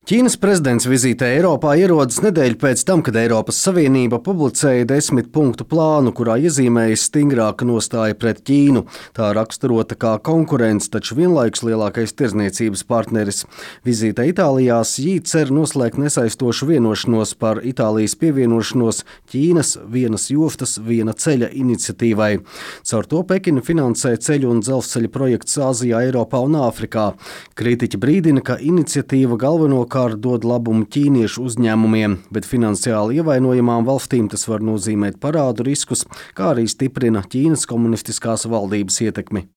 Ķīnas prezidents vizītē Eiropā ierodas nedēļu pēc tam, kad Eiropas Savienība publicēja 10-punktu plānu, kurā iezīmējas stingrāka nostāja pret Ķīnu. Tā raksturota kā konkurence, taču vienlaikus lielākais tirdzniecības partneris. Vizītē Itālijā Sī cer noslēgt nesaistošu vienošanos par Itālijas pievienošanos Ķīnas vienas jostas, viena ceļa iniciatīvai. Caur to Pekina finansē ceļu un dzelzceļa projekts Āzijā, Eiropā un Āfrikā. Kritiķi brīdina, ka iniciatīva galvenokārt dod labumu ķīniešu uzņēmumiem, bet finansiāli ievainojamām valstīm tas var nozīmēt parādu riskus, kā arī stiprina Ķīnas komunistiskās valdības ietekmi.